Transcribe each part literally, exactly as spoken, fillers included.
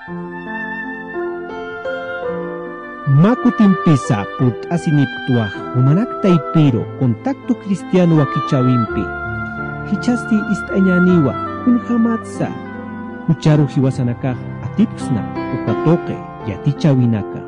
Mä kutimpisa purt'asinipktwa jumanak taypiru Contacto Cristiano wakichäwimpi. Jichhasti ist'añäniwa kunjamatsa jucharu jiwasanakax atipksna uka tuqi yatichäwinaka.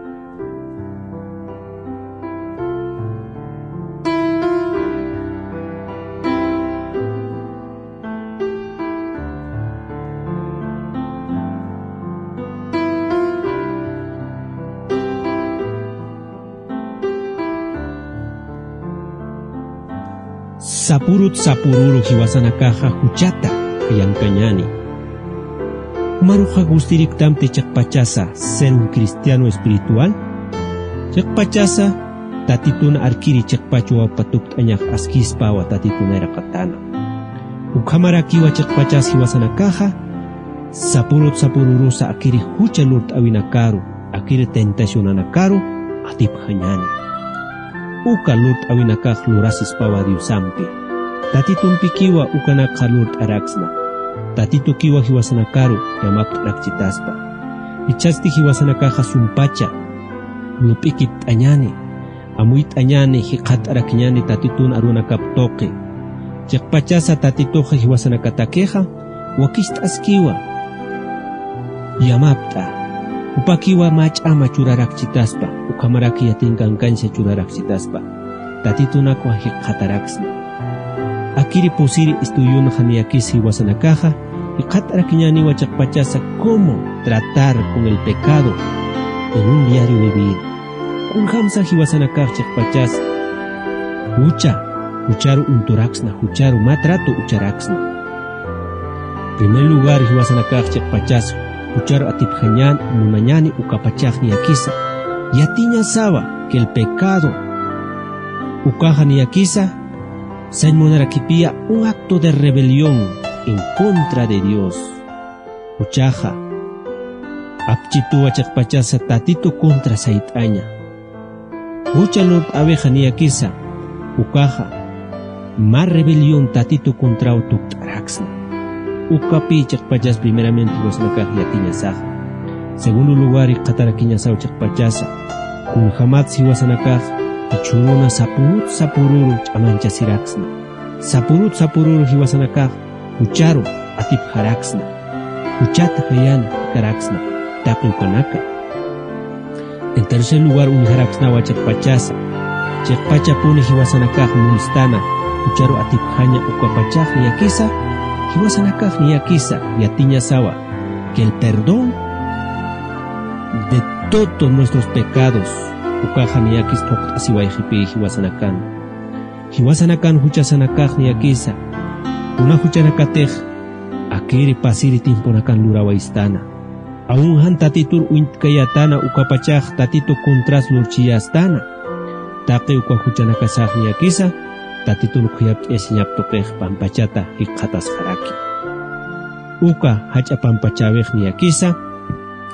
Sapurut sapururu jiwasanakaxa juchata jayankañäni. Jumaruxa gustiriktamti chiqpachasa ser un cristiano espiritual? Chiqpachasa Tatitun arkiri chiqpach wawpa tukt'añax askispawa Tatitun nayraqatäna. Ukhamarakiwa chiqpachas jiwasanakaxa sapurut sapururusa akiri jucha lurt'äwinakaru, akiri tentacionanakaru atipjañäni. Uka lurt'äwinakax lurasispawa Diosampi. Tatitumpikiwa ukanakxa lurt'araksna. Tatitukiwa jiwasanakaru llamapt'arakchitaspa. Jichhasti jiwasanakaxa sumpacha lup'ikipt'añäni, amuyt'añäni, jikxatarakiñäni Tatitun arunakap tuqi. Chiqpachasa Tatituxa jiwasanakatakixa wakist'askiwa, yamapt'a, jupakiwa mä ch'ama churarakchitaspa, ukhamaraki yatinkankañsa churarakchitaspa, Tatitunakwa jikxataraksna. Akiri pusiri estudionxa niyakis jiwasanakaxa jikxatarakiñäniwa chiqpachasa cómo tratar con el pecado en un diario vivir. Kunjamsa jiwasanakax chiqpachas jucha, jucharu uñturaksna, jucharu mä trato ucharaksna. Primer lugar, jiwasanakax chiqpachas jucharu atipjañän munañäni ukapachax niyakisa yatiñasawa que el pecado ukaxa niyakisa sañ munarakipiya un acto de rebelión en contra de Dios. Juchaxa apchituwa chiqpachasa Tatitu contra sayt'aña. Jucha lurt'äwixa niyakisa ukaxa mä rebelión Tatitu contraw tukt'araksna. Ukapï chiqpachas primeramente jiwasanakax yatiñasaxa. Segundo lugar, jikxatarakiñasaw chiqpachasa kunjamatsa jiwasanakax jichhüruna sapurut sapururu ch'amanchasiraksna. Sapurut sapururu jiwasanakax jucharu atipjaraksna, juchat jayan jikaraksna taqi ukanaka. En tercer lugar, uñjaraksnawa chiqpachasa, chiqpachapuni jiwasanakax munstana jucharu atipjaña ukapachax niyakisa, jiwasanakax niyakisa yatiñasawa que el perdón de todos nuestros pecados ukaxa niyakis phuqt'asiwayxipï jiwasanakan. Jiwasanakan juchasanakax niyakisa kuna juchanakatix akiri pasiri tiemponakan lurawaystäna. Aun jan Tatitur uñtkayätäna ukapachax Tatitu contras lurchiyästäna. Taqi uka juchanakasax niyakisa Tatitun khuyapt'ayasiñap tuqix pampachata jikxatasxaraki. Uka jach'a pampachäwix niyakisa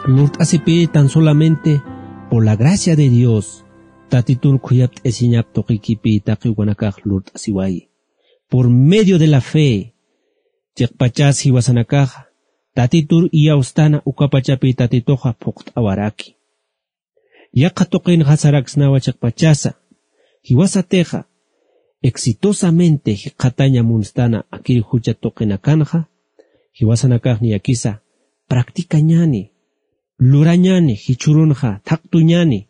lurt'asipï tan solamente por la gracia de Dios. Tatitun khuyapt'ayasiñap tuqikipï taqi ukanakax lurt'asiwayi. Por medio de la fe, chiqpachas jiwasanakaxa Tatitur iyawstäna ukapachapï Tatituxa phuqt'awaraki. Yaqha tuqinxa saraksnawa chiqpachasa, jiwasatixa exitosamente jikxataña munstana akiri jucha tuqinakanxa, jiwasanakax niyakisa practicañäni, lurañäni, jichhürunxa thaqtuñäni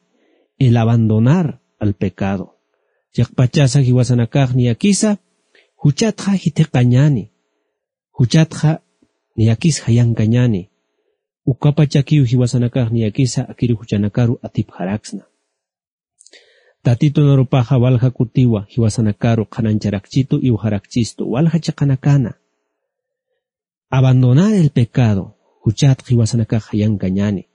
el abandonar al pecado. Chiqpachasa jiwasanakax niyakisa juchatxa jithiqañäni, juchatxa niyakis jayankañäni. Ukapachakiw jiwasanakax niyakisa akiri juchanakaru atipjaraksna. Tatitun arupaxa walja kutiwa jiwasanakaru qhanañcharakchitu, iwxarakchistu, walja chiqanakana. Abandonar el pecado, juchat jiwasanakax jayankañäni.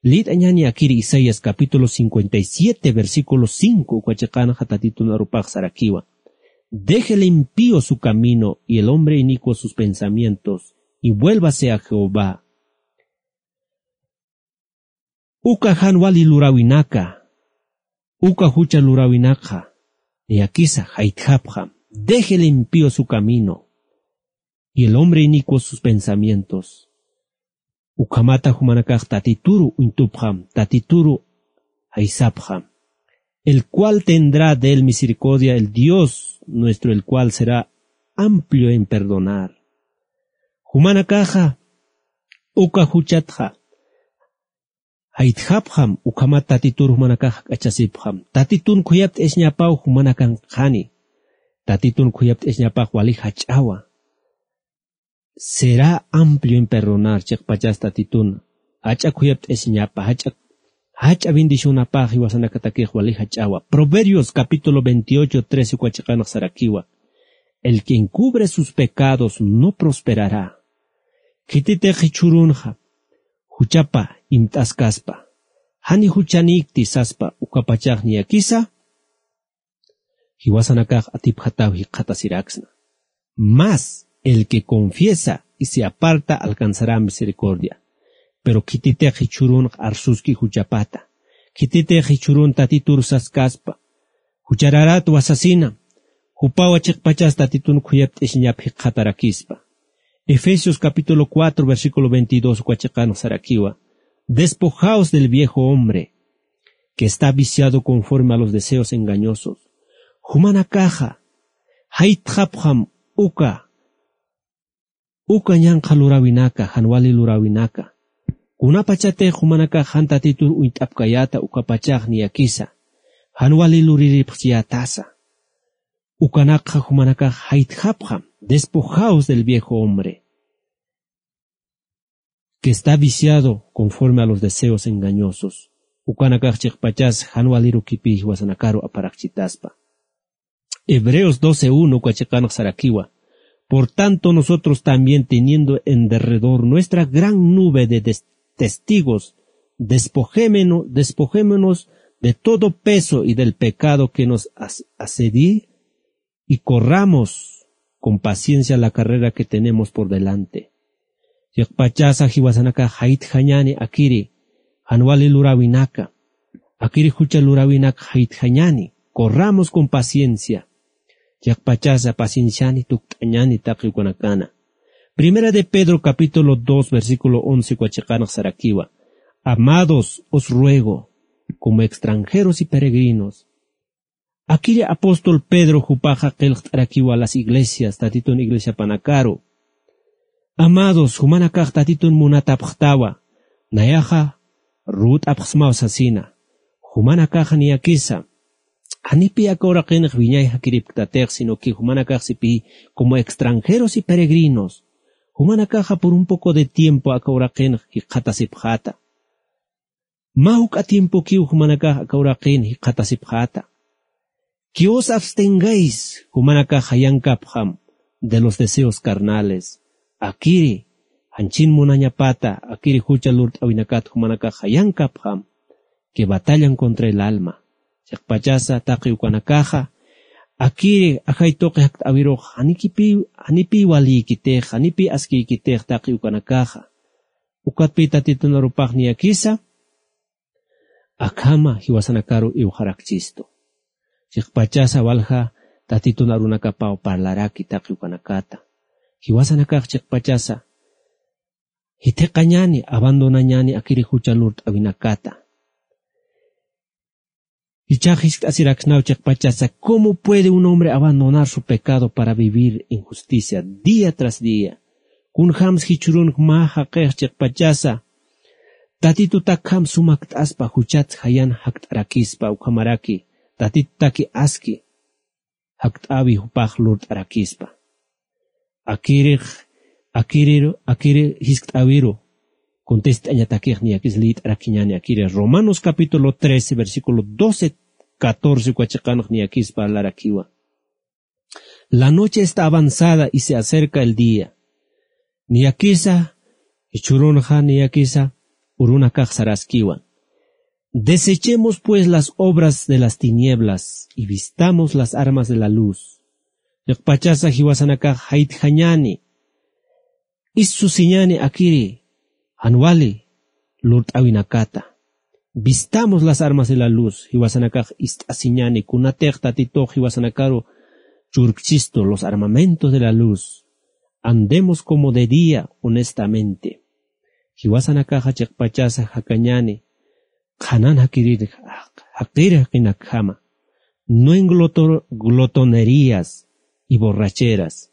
Lït'añäni akiri Isaías capítulo cincuenta y siete, versículo cinco, uka chiqanxa Tatitun arupax sarakiwa: "Deje el impío su camino y el hombre inicuo sus pensamientos, y vuélvase a Jehová". Uka jan wali luräwinaka, uka jucha luräwinakxa niyakisa jaytjapxam: "Deje el impío su camino, y el hombre inicuo sus pensamientos". Ukhamata jumanakax tatituru uñtupxam, tatituru jaysapxam. El cual tendrá de él misericordia, el Dios nuestro, el cual será amplio en perdonar. Jumanakaxa uka juchatxa jaytjapxam, ukhamat tatitur jumanakax jak'achasipxam. Tatitun khuyapt'asiñapaw jumanakanxani. Tatitun khuyapt'asiñapax wali jach'awa. Será amplio en perdonar, chiqpachas tatitun jach'a khuyapt'asiñapa, jach'a, jach'a bendicionapax jiwasanakatakix wali jach'awa. Proverbios capítulo veintiocho, trece uka chiqanx sarakiwa: El que encubre sus pecados no prosperará. Khititix jichhürunxa juchapa imt'askaspa, jani juchanïkti saspa, ukapachax niyakisa jiwasanakax atipjataw jikxatasiraksna. Mas el que confiesa y se aparta alcanzará misericordia. Pero khititix jichhürunx arsuski juchapata, khititix jichhürun tatitur saskaspa, juchararat wasasina, jupawa chiqpachas tatitun khuyapt'asiñap jikxatarakispa. Efesios capítulo cuatro, versículo veintidós uka chiqanx sarakiwa: Despojaos del viejo hombre, que está viciado conforme a los deseos engañosos. Jumanakaxa jaytxapxam uka, uka ñanqha luräwinaka, jan wali luräwinaka. Kunapachatix jumanakax jan tatitur uñt'apkayäta, ukapachax niyakisa jan wali luriripxchiyätasa. Ukanakxa jumanakax jaytxapxam: Despojaos del viejo hombre, que está viciado conforme a los deseos engañosos. Ukanakax chiqpachas jan waliru kipï jiwasanakaru aparakchitaspa. Hebreos doce uno uka chiqanx sarakiwa: Por tanto, nosotros también, teniendo en derredor nuestra gran nube de des-, testigos, despojémeno-, despojémonos de todo peso y del pecado que nos as-, asedia, y corramos con paciencia la carrera que tenemos por delante. Chiqpachasa jiwasanakax jaytjañäni akiri jan wali luräwinaka, akiri jucha luräwinaka jaytjañäni, corramos con paciencia. Chiqpachasa pacienciani tukt'añäni taqi ukanakana. Primera de Pedro capítulo dos, versículo once uka chiqanx sarakiwa: Amados, os ruego, como extranjeros y peregrinos, Akiri apóstol Pedro jupaxa qillqt'arakiwa las iglesias, tatitun iglesiapanakaru. Amados, jumanakax tatitun munatapxtawa, nayaxa ruwt'apxsmaw sasina. Jumanakaxa niyakisa, janipï aka uraqinx wiñay jakiripktatix, sino que jumanakax sipï como extranjeros y peregrinos. Jumanakaxa por un poco de tiempo aka uraqinx jikxatasipxäta. Mä juk'a tiempokiw jumanakax aka uraqin jikxatasipxäta. Que os abstengáis, jumanakax jayankapxam, de los deseos carnales. Akiri, janchin munañapata, akiri jucha lurt'äwinakat jumanakax jayankapxam, que batallan contra el alma. Chiqpachasa taqi ukanakaxa, akiri ajay tuqi jakt'äwirux, janipï, janipï walïkitix, janipï askïkitix taqi ukanakaxa. Ukatpï tatitun arupax niyakisa, akhama jiwasanakaru iwxarakchistu. Chiqpachasa walja tatitun arunakapaw parlaraki taqi ukanakata. Jiwasanakax chiqpachasa jithiqañäni, abandonañäni akiri jucha lurt'äwinakata. Jichhax jiskt'asiraksnaw chiqpachasa, ¿cómo puede un hombre abandonar su pecado para vivir en justicia día tras día? Kunjams jichhürunx mä jaqix chiqpachasa, tatitutakjam sumakt'aspa juchat jayan jakt'arakispa, ukhamaraki tatitutaki aski jakt'äwi jupax lurt'arakispa. Akirix, akiriru, akiri jiskt'äwiru, contest'añatakix niyakis liyt'arakiñäni akiri. Romanos capítulo trece, versículo doce, catorce uka chiqanx niyakis parlarakiwa. La noche está avanzada y se acerca el día. Niyakisa, jichhürunxa niyakisa, urunakax saraskiwa. Desechemos pues las obras de las tinieblas y vistamos las armas de la luz. Chiqpachasa jiwasanakax jaytjañäni, issusiñäni akiri jan wali lurt'äwinakata. Vistamos las armas de la luz, jiwasanakax ist'asiñäni, kunatix tatitux jiwasanakaru churkchistu, los armamentos de la luz. Andemos como de día, honestamente. Jiwasanakaxa chiqpachasa jakañani, qhanan jakirir, jaqir jaqinakjama. No en gloto-, glotonerías y borracheras.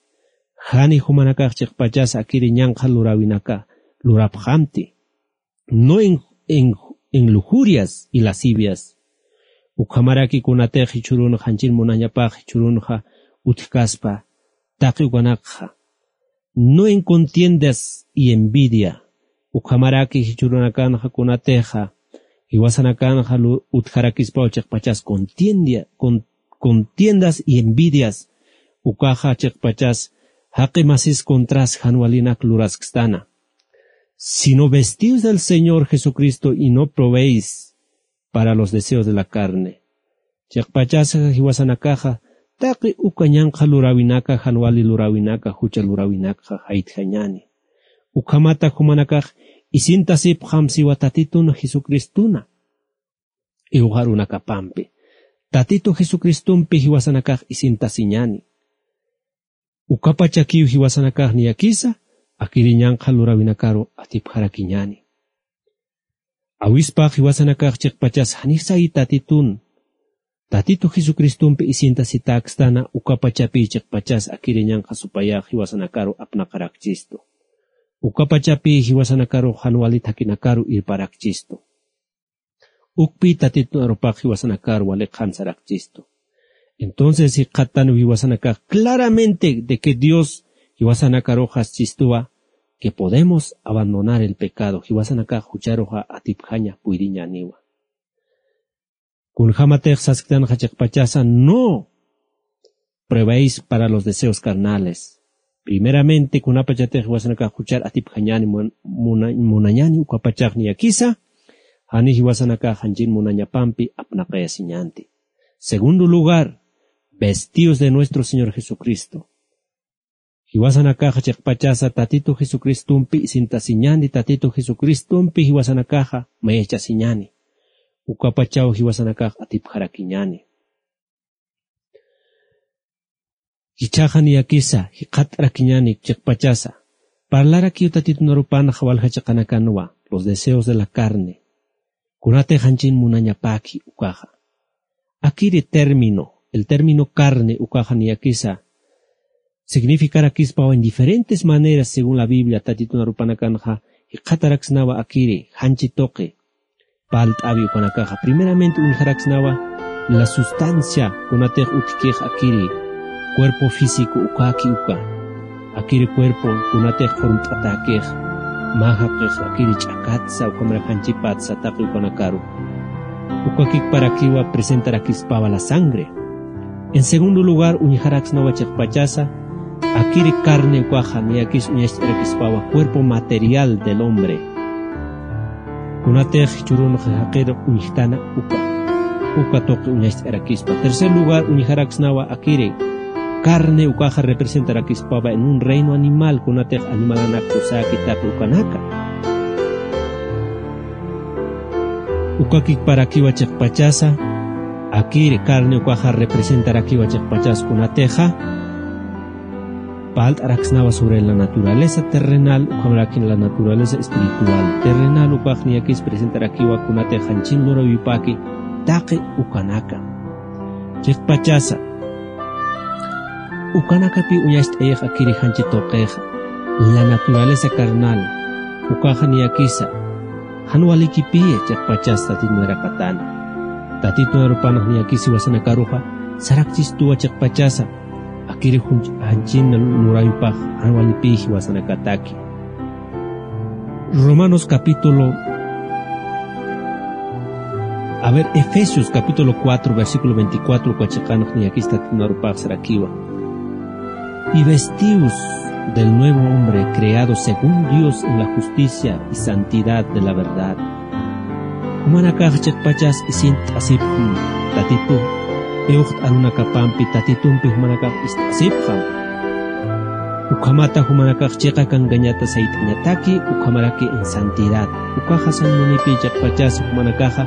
Jani jumanakax chiqpachasa akiri ñanqha luräwinaka lurapxamti. No en, en, en lujurias y lascivias. Ukhamaraki kunatix jichhürunxa janchin munañapax jichhürunxa utjkaspa taqi ukanakxa. No en contiendas y envidia. Ukhamaraki jichhürunakanxa kunatixa jiwasanakanxa lu-, utjarakispaw chiqpachas contiendia-, con-, contiendas y envidias. Ukaxa chiqpachas jaqi masis contras jan walinak luraskstana. Sino vestidos del Señor Jesucristo y no proveéis para los deseos de la carne. Chiqpachasa jiwasanakaxa taqi uka ñanqha luräwinaka, jan wali luräwinaka, jucha luräwinakxa jaytjañani. Ukhamata jumanakax isintasipxam siwa Tatitun Jesucristuna iwxarunakapampi. Tatitu Jesucristumpi jiwasanakax isintasiñani. Ukapachakiw jiwasanakax niyakisa akiri ñanqha luräwinakaru atipjarakiñani. Awispax jiwasanakax chiqpachas janisa Tatitun, Tatitu Jesucristumpi isintasitäkstana, ukapachapi chiqpachas akiri ñanqha supayax jiwasanakaru apnaqarakchistu. Ukapachapi jiwasanakaru jan wali thakinakaru irparakchistu. Ukpi Tatitun arupax jiwasanakar wali qhansarakchistu. Entonces jikxattan jiwasanakax claramente de que Dios jiwasanakaruxas chistuwa que podemos abandonar el pecado, jiwasanakax jucharuxa atipjaña puyriñaniwa. Kunjamatix sasktanxa chiqpachasa no proveéis para los deseos carnales. Primeramente, kunapachatix jiwasanakax juchar atipjañani mun-, muna-, munañani ukapachax niyakisa, jani jiwasanakax janchin munañapampi apnaqayasiñanti. Segundo lugar, vestidos de nuestro Señor Jesucristo. Jiwasanakaxa chiqpachasa Tatitu Jesucristumpi isintasiñani, Tatitu Jesucristumpi jiwasanakaxa mayachasiñani. Ukapachaw jiwasanakax atipjarakiñani. Jichhaxa niyakisa jikxatarakiñani chiqpachasa. Parlarakiw Tatitun arupanxa walja chiqanakanwa, los deseos de la carne. Kunatix janchin munañapaki ukaxa. Akiri término, el término carne ukaxa niyakisa significarakispawa en diferentes maneras según la Biblia, Tatitun arupanakanxa jikxataraksnawa akiri janchi tuqi. Palt'awi ukanakaxa. Primeramente uñjaraksnawa la sustancia kunatix utjkix akiri cuerpo físico ukaki uka. Akiri cuerpo kunatix formt'atäkix, mä jaqix akiri ch'akatsa, ukhamarak janchipatsa taqi ukanakaru. Ukakikparakiwa presentarakispawa la sangre. En segundo lugar, uñjaraksnawa chiqpachasa, akiri carne ukaxa niyakis uñacht'arakispawa cuerpo material del hombre. Kunatix jichhürunxa jaqir uñjtana uka, uka tuqi uñacht'arakispa. Tercer lugar, uñjaraksnawa akiri carne ukaxa representarakispawa en un reino animal, kunatix animalanak kusaki taqi ukanaka. Ukakikparakiwa chiqpachasa, akiri carne ukaxa representarakiwa chiqpachas kunatixa palt'araksnawa sobre la naturaleza terrenal, ukhamarakin la naturaleza espiritual. Terrenal ukax niyakis presentarakiwa kunatix janchin luräwipaki taqi ukanaka. Chiqpachasa, ukanakapi uñacht'ayix akiri janchi tuqixa, la naturaleza carnal, ukaxa niyakisa jan walikipi chiqpachas Tatitun arapatana. Tatitun arupanax niyakis jiwasanakaruxa sarakchistuwa chiqpachasa, akiri junch-, janchin luräwipax jan walipi jiwasanakataki. Romanos capítulo, a ver, Efesios capítulo cuatro, versículo veinticuatro, uka chiqanax niyakis Tatitun arupax sarakiwa. Y vestidos del nuevo hombre creado según Dios en la justicia y santidad de la verdad. Jumanakax chiqpachas isint'asipxam Tatitu, iwxt'arunakapampi Tatitumpi jumanakax ist'asipxam. Ukhamata jumanakax chiqa kankañata sayt'añataki, ukhamaraki en santidad. Ukaxa sañ munipi chiqpachas jumanakaxa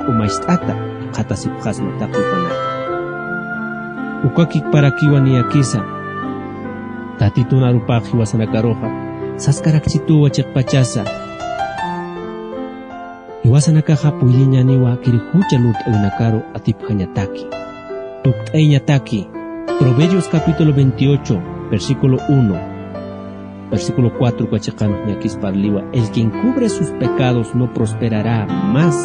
k'umacht'ata qhatasipxasma taqi ukanaka. Ukakikparakiwa niyakisa Tatitun arupax jiwasanakaruxa saskarakchituwa chiqpachasa, Jiwasanakaxa puyriñaniwa kiri jucha lurt'awinakaru atipjañataki, tukt'ayañataki. Proverbios capítulo veintiocho, versículo uno, versículo cuatro, uka chiqanx ñakis parliwa: "El que encubre sus pecados no prosperará, mas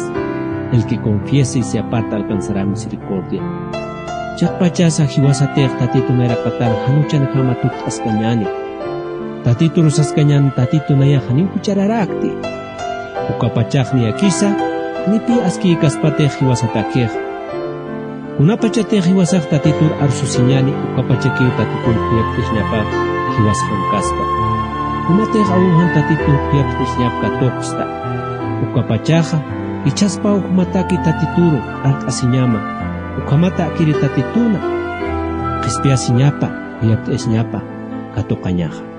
el que confiese y se aparta alcanzará misericordia". Chiqpachasa jiwasatix Tatitu nayraqatar jan juchanjama tukt'askañäni. Tatitur saskañäni: Tatitu nayax janiw juchararäkti. Ukapachax niyakisa, janipï askïkaspatix jiwasatakix. Kunapachatix jiwasax Tatitur arsusiñäni, ukapachakiw Tatitur khuyapt'isiñapa jiwas jankaspa. Kunatix awinjan Tatitur khuyapt'isiñap katuqsta, ukapachaxa jichhaspaw jumataki Tatituru art'asiñama, ukhamatakiri Tatituna qhispiyasiñapa, khuyapt'isiñapa katuqañaxa.